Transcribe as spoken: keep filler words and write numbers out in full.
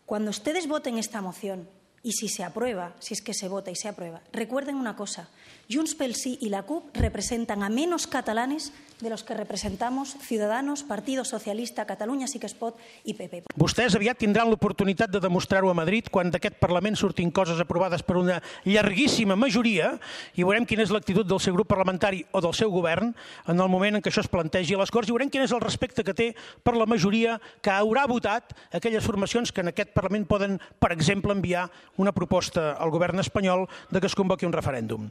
Cuando ustedes voten esta moción, y si se aprueba, si es que se vota y se aprueba, recuerden una cosa, Junts pel Sí y la C U P representan a menos catalanes de los que representamos Ciudadanos, Partido Socialista, Catalunya Sí que es Pot i P P. Vostès aviat tindran l'oportunitat de demostrar-ho a Madrid quan d'aquest Parlament surtin coses aprovades per una llarguíssima majoria i veurem quina és l'actitud del seu grup parlamentari o del seu govern en el moment en què això es plantegi a les Corts i veurem quin és el respecte que té per la majoria que haurà votat aquelles formacions que en aquest Parlament poden, per exemple, enviar una proposta al govern espanyol de que es convoqui un referèndum.